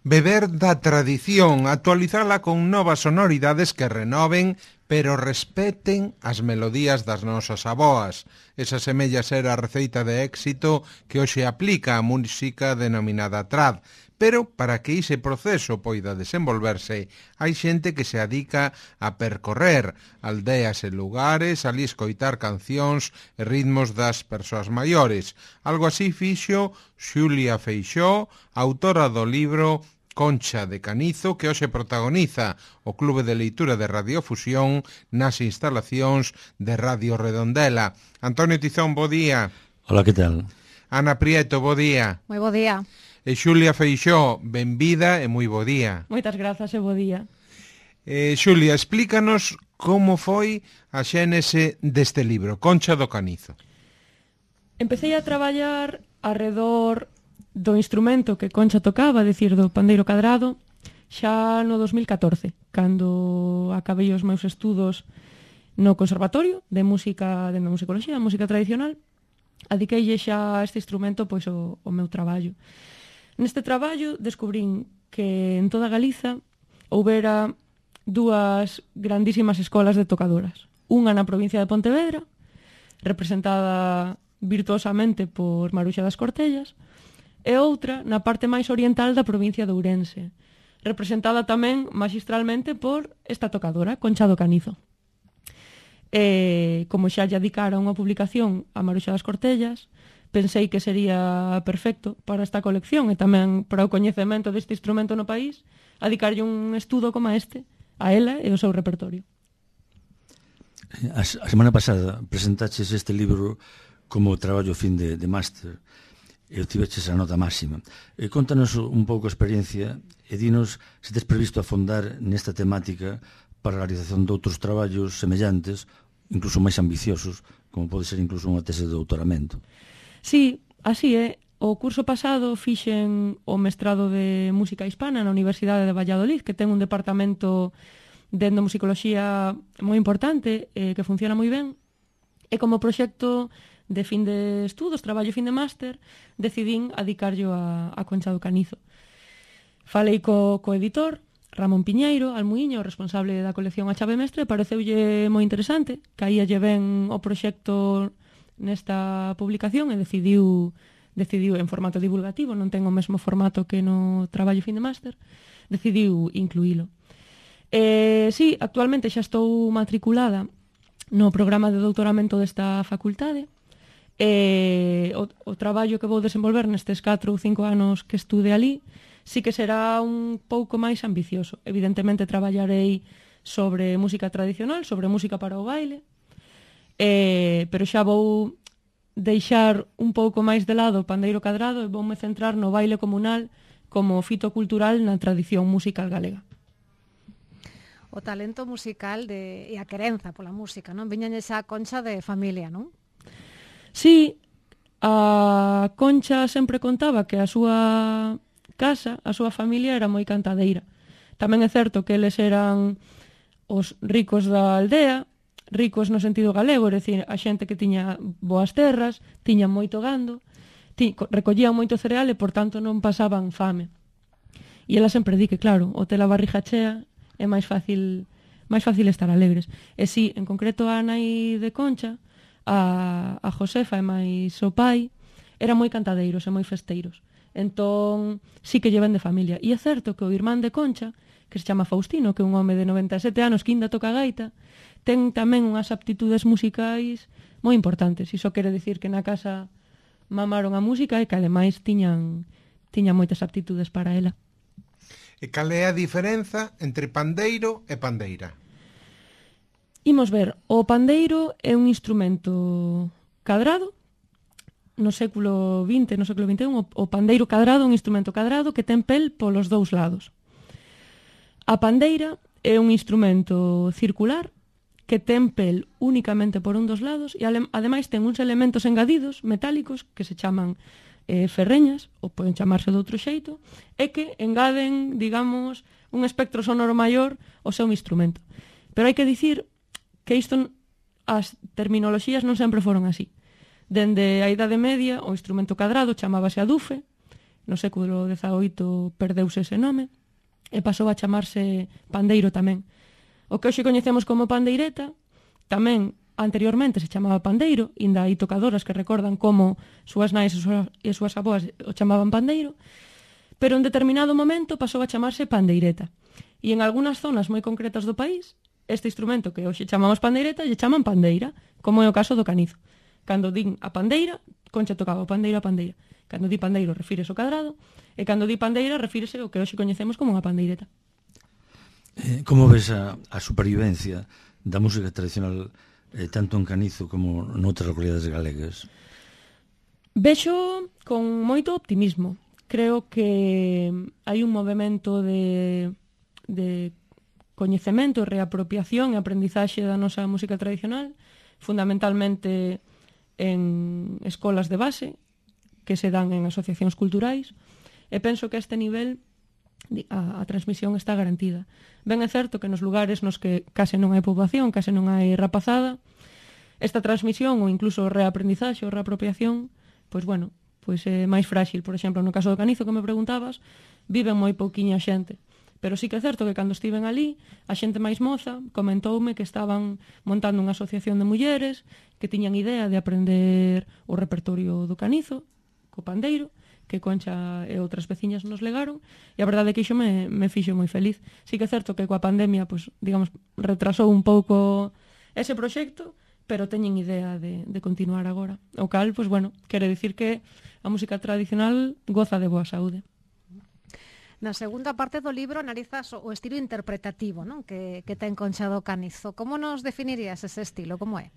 Beber da tradición, actualizala con novas sonoridades que renoven, pero respeten as melodías das nosas avoas. Esa semella ser a receita de éxito que hoxe aplica a música denominada trad. Pero para que ese proceso poida desenvolverse, hai xente que se adica a percorrer aldeas e lugares, ali escoitar cancións e ritmos das persoas maiores. Algo así fixo Xulia Feixóo, autora do libro Concha de Canizo, que hoxe protagoniza o Clube de Leitura de Radiofusión nas instalacións de Radio Redondela. Antonio Tizón, bo día. Hola, que tal? Ana Prieto, bo día. Moi bo día. E Xulia Feixóo, benvida e moi bo día. Moitas grazas e bo día. Xulia, explícanos como foi a xénese deste libro, Concha do Canizo. Empecé a traballar arredor do instrumento que Concha tocaba, decir, do pandeiro cadrado, xa no 2014, cando acabei os meus estudos no Conservatorio de Música, de Musicoloxía, música tradicional, adiqueille xa a este instrumento pois o meu traballo. Neste traballo descubrín que en toda Galiza houbera dúas grandísimas escolas de tocadoras. Unha na provincia de Pontevedra, representada virtuosamente por Maruxa das Cortellas, e outra na parte máis oriental da provincia de Ourense, representada tamén magistralmente por esta tocadora, Concha do Canizo. E, como xa lle dedicara unha publicación a Maruxa das Cortellas, pensei que sería perfecto para esta colección e tamén para o coñecemento deste instrumento no país, dedicarlle un estudo como este a ela e o seu repertorio. A semana pasada presentaches este libro como traballo fin de máster e obtiveches a nota máxima. Contanos un pouco a experiencia e dinos se tes previsto afondar nesta temática para a realización de outros traballos semellantes, incluso máis ambiciosos, como pode ser incluso unha tese de doutoramento. Sí, así é. O curso pasado fixen o mestrado de Música Hispana na Universidade de Valladolid, que ten un departamento de etnomusicoloxía moi importante, que funciona moi ben, e como proxecto de fin de estudos, traballo fin de máster, decidín adicarllo a Concha do Canizo. Falei co editor, Ramón Piñeiro, Almuíño, responsable da colección A Chave Mestre, pareceulle moi interesante, caíalle ben o proxecto nesta publicación e decidiu en formato divulgativo, non ten o mesmo formato que no traballo fin de máster, decidiu incluílo. Sí, actualmente xa estou matriculada no programa de doutoramento desta facultade. O traballo que vou desenvolver nestes 4 ou 5 anos que estude ali sí que será un pouco máis ambicioso. Evidentemente traballarei sobre música tradicional, sobre música para o baile, pero xa vou deixar un pouco máis de lado o pandeiro cadrado e voume centrar no baile comunal como fito cultural na tradición musical galega. O talento musical e a querenza pola música, non? Viñan esa Concha de familia, non? Sí, a Concha sempre contaba que a súa casa, a súa familia era moi cantadeira. Tamén é certo que eles eran os ricos da aldea, ricos no sentido galego, é dicir, a xente que tiña boas terras, tiña moito gando, recollían moito cereal e, por tanto, non pasaban fame. E ela sempre di que, claro, o ter a barriga chea é máis fácil estar alegres. E sí, en concreto a nai de Concha, a Josefa e máis o pai, eran moi cantadeiros e moi festeiros. Entón, sí que llevan de familia. E é certo que o irmán de Concha, que se chama Faustino, que é un home de 97 anos que ainda toca gaita, ten tamén unhas aptitudes musicais moi importantes. Iso quere dicir que na casa mamaron a música e que ademais tiñan moitas aptitudes para ela. E cal é a diferenza entre pandeiro e pandeira? Imos ver, o pandeiro é un instrumento cadrado. No século XX, no século XXI, o pandeiro cadrado é un instrumento cadrado que ten pel polos dous lados. A pandeira é un instrumento circular que ten pel únicamente por un dos lados e ademais ten uns elementos engadidos metálicos que se chaman ferreñas, ou poden chamarse de outro xeito, e que engaden, digamos, un espectro sonoro maior ao seu instrumento. Pero hai que dicir que isto, as terminoloxías non sempre foron así. Dende a Idade Media, o instrumento cadrado chamábase adufe, no século XVIII perdeuse ese nome, e pasou a chamarse pandeiro tamén. O que hoxe coñecemos como pandeireta, tamén anteriormente se chamaba pandeiro, inda hai tocadoras que recordan como súas nais e súas aboas o chamaban pandeiro, pero en determinado momento pasou a chamarse pandeireta. E en algunhas zonas moi concretas do país, este instrumento que hoxe chamamos pandeireta lle chaman pandeira, como é o caso do canizo. Cando din a pandeira, Concha tocaba o pandeiro a pandeira. Cando di pandeiro refírese ao cadrado, e cando di pandeira refírese ao que hoxe coñecemos como unha pandeireta. Como ves a supervivencia da música tradicional tanto en Canizo como noutras localidades galegas? Vexo con moito optimismo. Creo que hai un movimento de coñecemento, reapropiación e aprendizaxe da nosa música tradicional, fundamentalmente en escolas de base, que se dan en asociacións culturais, e penso que a este nivel a transmisión está garantida. Ben é certo que nos lugares nos que case non hai poboación, case non hai rapazada, esta transmisión ou incluso reaprendizaxe ou reapropiación, pois bueno, pois é máis frágil. Por exemplo, no caso do Canizo que me preguntabas, viven moi pouquiña xente. Pero sí que é certo que cando estiven ali, a xente máis moza comentoume que estaban montando unha asociación de mulleres que tiñan idea de aprender o repertorio do Canizo, co pandeiro, que Concha e outras veciñas nos legaron, e a verdade é que iso me fixo moi feliz. Sí que é certo que coa pandemia, pues, digamos, retrasou un pouco ese proxecto, pero teñen idea de continuar agora. O cal, pues, bueno, quere dicir que a música tradicional goza de boa saúde. Na segunda parte do libro analizas o estilo interpretativo, non? Que ten Concha do Canizo. Como nos definirías ese estilo? Como é?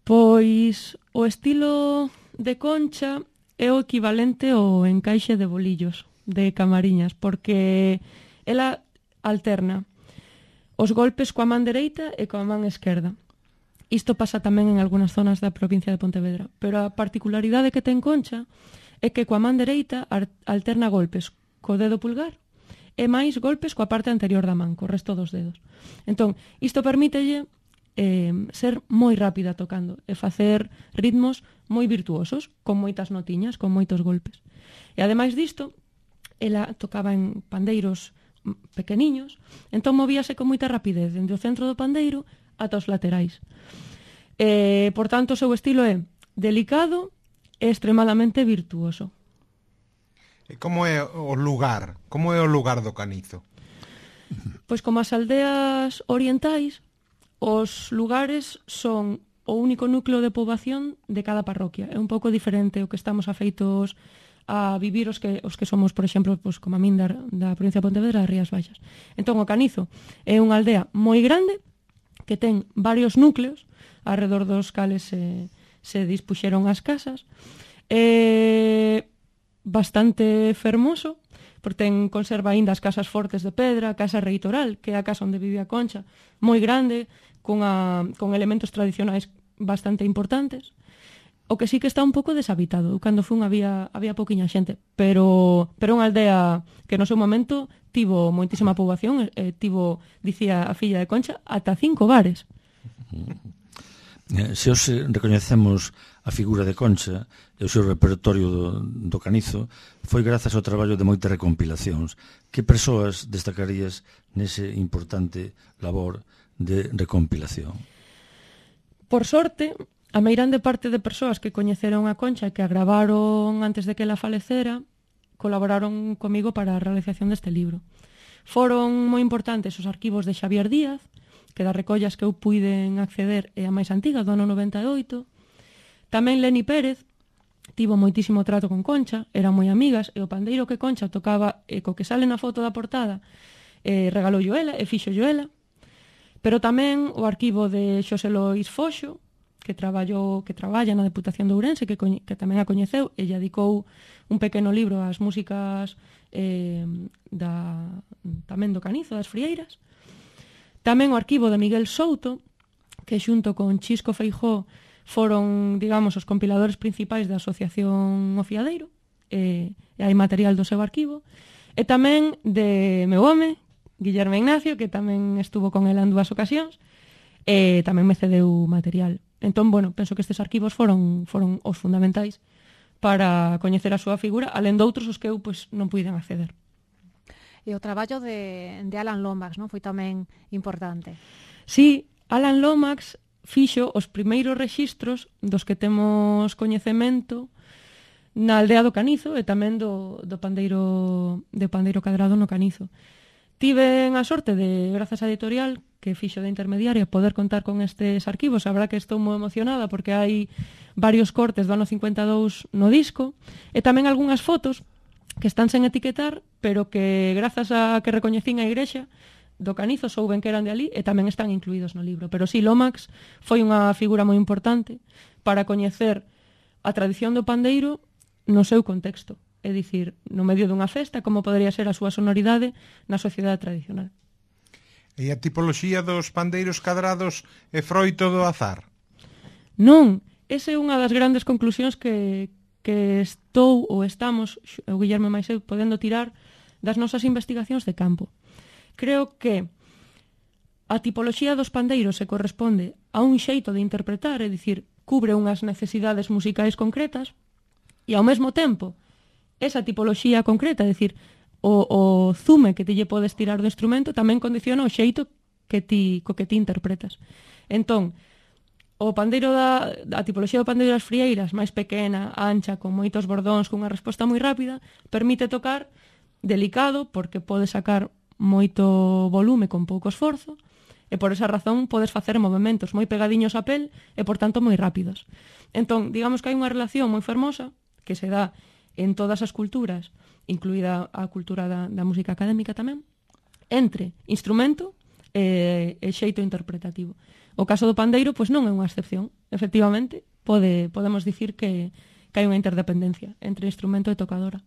Pois o estilo de Concha é o equivalente ao encaixe de bolillos de Camariñas, porque ela alterna os golpes coa man dereita e coa man esquerda. Isto pasa tamén en algunhas zonas da provincia de Pontevedra, pero a particularidade que ten Concha é que coa man dereita alterna golpes co dedo pulgar e máis golpes coa parte anterior da man, co resto dos dedos. Entón, isto permítelle ser moi rápida tocando e facer ritmos moi virtuosos, con moitas notiñas, con moitos golpes. E ademais disto, ela tocaba en pandeiros pequeniños, entón movíase con moita rapidez dende o centro do pandeiro ata os laterais. Por tanto, o seu estilo é delicado e extremadamente virtuoso. E como é o lugar? Como é o lugar do Canizo? Pois como as aldeas orientais, os lugares son o único núcleo de poboación de cada parroquia. É un pouco diferente o que estamos afeitos a vivir os que somos, por exemplo, pues, como a min da provincia de Pontevedra, das Rías Baixas. Entón, o Canizo é unha aldea moi grande que ten varios núcleos alrededor dos cales se dispuxeron as casas. Bastante fermoso, porque conserva aínda as casas fortes de pedra, a casa reitoral, que é a casa onde vivía Concha, moi grande, con elementos tradicionais bastante importantes. O que sí que está un pouco deshabitado. Cando fun había pouquiña xente, pero unha aldea que no seu momento tivo moitísima poboación, tivo, dicía a filla de Concha, ata 5 bares. Se hoxe recoñecemos a figura de Concha e o seu repertorio do Canizo, foi grazas ao traballo de moitas recompilacións. Que persoas destacarías nese importante labor de recompilación? Por sorte, a meirande parte de persoas que coñeceron a Concha e que a gravaron antes de que ela falecera colaboraron comigo para a realización deste libro. Foron moi importantes os arquivos de Xavier Díaz, que das recollas que eu puiden acceder é a máis antiga, do ano 98. Tamén Leni Pérez tivo moitísimo trato con Concha, eran moi amigas, e o pandeiro que Concha tocaba e co que sale na foto da portada regalou ela e fixo ela. Pero tamén o arquivo de Xosé Lois Foxo, que traballa na Deputación de Ourense, que tamén a coñeceu e lle dedicou un pequeno libro ás músicas tamén do Canizo, das Frieiras. Tamén o arquivo de Miguel Souto, que xunto con Chisco Feijó foron, digamos, os compiladores principais da Asociación O Fiadeiro, e hai material do seu arquivo. E tamén de meu home, Guillermo Ignacio, que tamén estuvo con ela en 2 ocasións, e tamén me cedeu material. Entón, bueno, penso que estes arquivos foron os fundamentais para coñecer a súa figura, alén doutros os que eu pois, non puiden acceder. E o traballo de Alan Lomax, non? Foi tamén importante. Sí, Alan Lomax fixo os primeiros rexistros dos que temos coñecemento na aldea do Canizo e tamén do pandeiro cadrado no Canizo. Tiven a sorte de, grazas á editorial que fixo de intermediaria, poder contar con estes arquivos. A verdad que estou moi emocionada porque hai varios cortes do ano 52 no disco e tamén algunhas fotos que están sen etiquetar, pero que grazas a que recoñecín a igrexa do Canizo souben que eran de ali e tamén están incluídos no libro. Pero sí, Lomax foi unha figura moi importante para coñecer a tradición do pandeiro no seu contexto. É dicir, no medio dunha festa, como podería ser a súa sonoridade na sociedade tradicional. E a tipoloxía dos pandeiros cadrados é froito do azar? Non, esa é unha das grandes conclusións que estou ou estamos, o Guillermo máis eu, podendo tirar das nosas investigacións de campo. Creo que a tipoloxía dos pandeiros se corresponde a un xeito de interpretar, é dicir, cubre unhas necesidades musicais concretas, e ao mesmo tempo, esa tipoloxía concreta, é dicir, o zume que te lle podes tirar do instrumento tamén condiciona o xeito co que ti interpretas. Entón, o pandeiro a tipoloxía do pandeiro das frieiras, máis pequena, ancha, con moitos bordóns, cunha resposta moi rápida, permite tocar delicado, porque pode sacar moito volume con pouco esforzo, e por esa razón podes facer movementos moi pegadiños á pel e, por tanto, moi rápidos. Entón, digamos que hai unha relación moi fermosa que se dá en todas as culturas, incluída a cultura da música académica tamén, entre instrumento e xeito interpretativo. O caso do pandeiro, pois non é unha excepción. Efectivamente, podemos dicir que hai unha interdependencia entre instrumento e tocadora.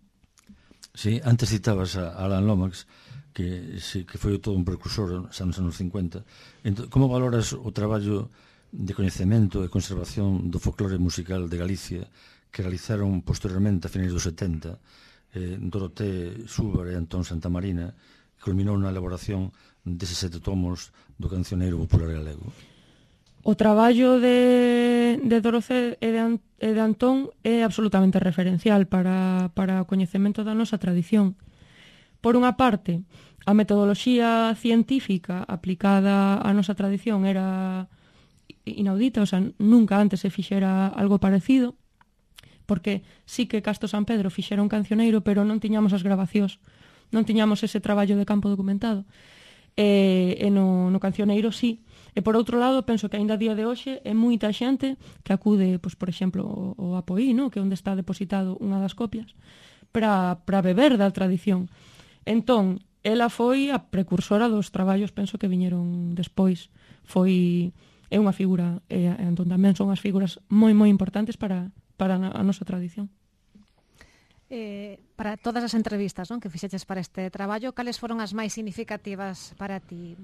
Sí, antes citabas a Alan Lomax, que foi todo un precursor nos anos 50. Entón, como valoras o traballo de coñecemento e conservación do folclore musical de Galicia que realizaron posteriormente a finais dos 70 Doroté Súbar e Antón Santamarina, que culminou na elaboración deses 7 tomos do cancioneiro popular galego? O traballo de Doroté e de Antón é absolutamente referencial para o coñecemento da nosa tradición. Por unha parte, a metodoloxía científica aplicada á nosa tradición era inaudita, o sea, nunca antes se fixera algo parecido, porque sí que Casto San Pedro fixera un cancioneiro, pero non tiñamos as grabacións, non tiñamos ese traballo de campo documentado. E no cancioneiro sí. E por outro lado, penso que aínda a día de hoxe é moita xente que acude, pois, por exemplo, ao Apoí, no? Que é onde está depositado unha das copias, para beber da tradición. Entón, ela foi a precursora dos traballos, penso que viñeron despois. É unha figura, e entón tamén son as figuras moi importantes para a nosa tradición. Para todas as entrevistas, non, que fixeches para este traballo, cales foron as máis significativas para ti?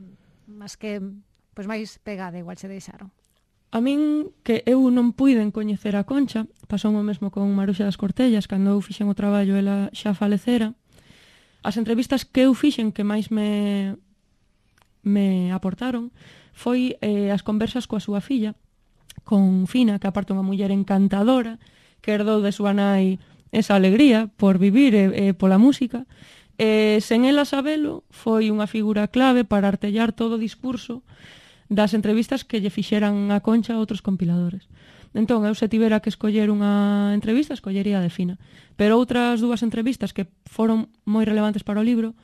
As que máis pegada igual se deixaron? A min, que eu non puiden coñecer a Concha, pasou o mesmo con Maruxa das Cortellas, cando eu fixen o traballo ela xa falecera. As entrevistas que eu fixen que máis me aportaron foi as conversas coa súa filla, con Fina, que aparte unha muller encantadora, que herdou de súa nai esa alegría por vivir e pola música. Sen ela sabelo, foi unha figura clave para artellar todo o discurso das entrevistas que lle fixeran a Concha a outros compiladores. Entón, eu se tivera que escoller unha entrevista, escollería a de Fina. Pero outras dúas entrevistas que foron moi relevantes para o libro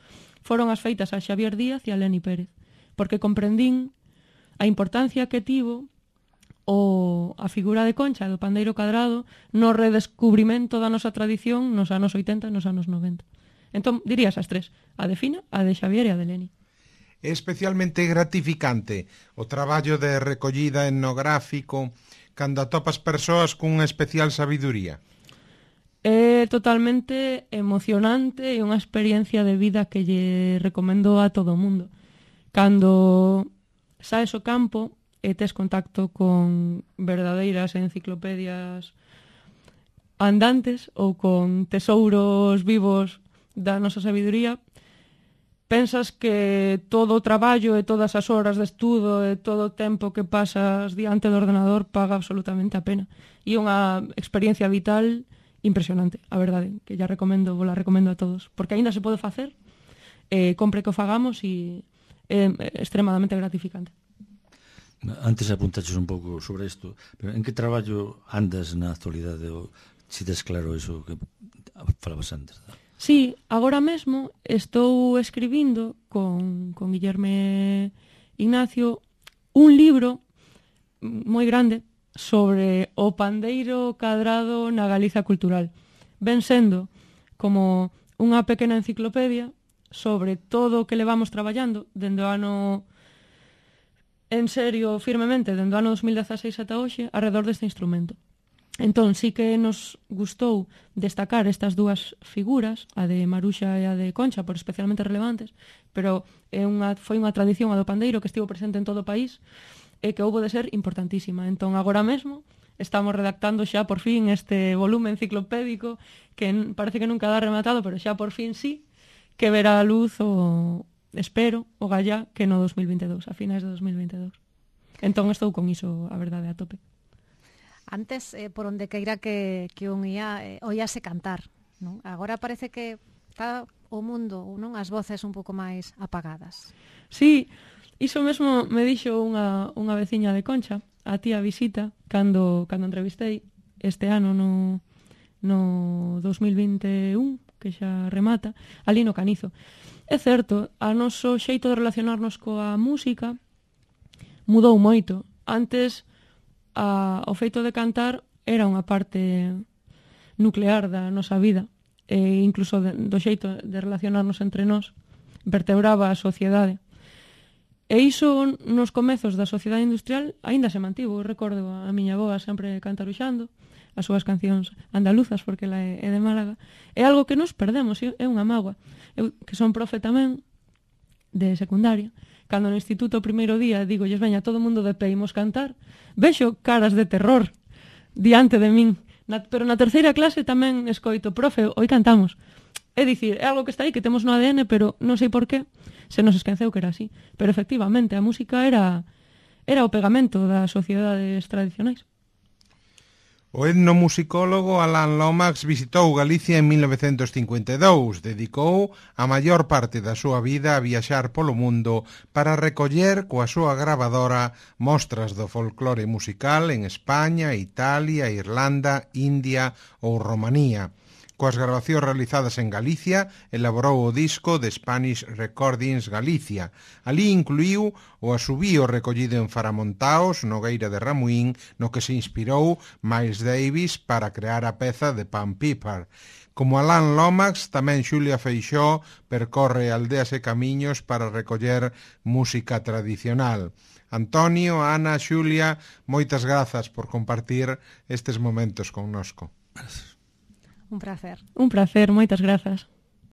foron as feitas a Xavier Díaz e a Leni Pérez, porque comprendín a importancia que tivo a figura de Concha do pandeiro cadrado no redescubrimento da nosa tradición nos anos 80 e nos anos 90. Entón, dirías as tres, a de Fina, a de Xavier e a de Leni. É especialmente gratificante o traballo de recollida etnográfico cando atopas persoas cunha especial sabiduría. É totalmente emocionante e unha experiencia de vida que lle recomendo a todo o mundo. Cando saes ao campo e tes contacto con verdadeiras enciclopedias andantes ou con tesouros vivos da nosa sabiduría, pensas que todo o traballo e todas as horas de estudo e todo o tempo que pasas diante do ordenador paga absolutamente a pena. E unha experiencia vital impresionante, a verdade, que vos la recomendo a todos, porque aínda se pode facer, compre que o fagamos e é extremadamente gratificante. Antes apuntaches un pouco sobre isto, pero en que traballo andas na actualidade, ou si tes claro iso que falabas antes? Sí, agora mesmo estou escribindo con Guillerme Ignacio un libro moi grande sobre o pandeiro cadrado na Galiza cultural. Ven sendo como unha pequena enciclopedia sobre todo o que levamos traballando dende o ano, en serio, firmemente, dende o ano 2016 ata hoxe, alrededor deste instrumento. Entón, sí que nos gustou destacar estas dúas figuras, a de Maruxa e a de Concha, por especialmente relevantes, pero foi unha tradición a do pandeiro que estivo presente en todo o país e que houbo de ser importantísima. Entón, agora mesmo, estamos redactando xa por fin este volume enciclopédico que parece que nunca dá rematado, pero xa por fin sí, que verá a luz espero, o gallá, que no 2022, a finais de 2022. Entón estou con iso, a verdade, a tope. Antes, por onde queira que un ia, oíase cantar, non? Agora parece que está o mundo, non, as voces un pouco máis apagadas. Sí, iso mesmo me dixo unha veciña de Concha, a tía Visita, cando entrevistei este ano no 2021, que xa remata, ali no Canizo. É certo, a noso xeito de relacionarnos coa música mudou moito. Antes, o feito de cantar era unha parte nuclear da nosa vida, e incluso do xeito de relacionarnos entre nós, vertebraba a sociedade. E iso nos comezos da sociedade industrial aínda se mantivo. Eu recordo a miña avoa sempre cantaruxando as súas cancións andaluzas, porque ela é de Málaga. É algo que nos perdemos, é unha mágoa. Eu, que son profe tamén, de secundaria, cando no instituto o primeiro día digolles, veña, todo o mundo de pé, imos cantar, vexo caras de terror diante de min. Pero na terceira clase tamén escoito, profe, hoy cantamos. É dicir, é algo que está aí, que temos no ADN, pero non sei por qué se nos esqueceu que era así. Pero efectivamente, a música era o pegamento das sociedades tradicionais. O etnomusicólogo Alan Lomax visitou Galicia en 1952, dedicou a maior parte da súa vida a viaxar polo mundo para recoller coa súa gravadora mostras do folclore musical en España, Italia, Irlanda, India ou Romanía. Coas grabacións realizadas en Galicia, elaborou o disco de Spanish Recordings Galicia. Ali incluíu o asubío recollido en Faramontaos, Nogueira de Ramuín, no que se inspirou Miles Davis para crear a peza de Pan Piper. Como Alan Lomax, tamén Xulia Feixóo percorre aldeas e camiños para recoller música tradicional. Antonio, Ana, Xulia, moitas grazas por compartir estes momentos connosco. Un placer. Un placer, moitas grazas.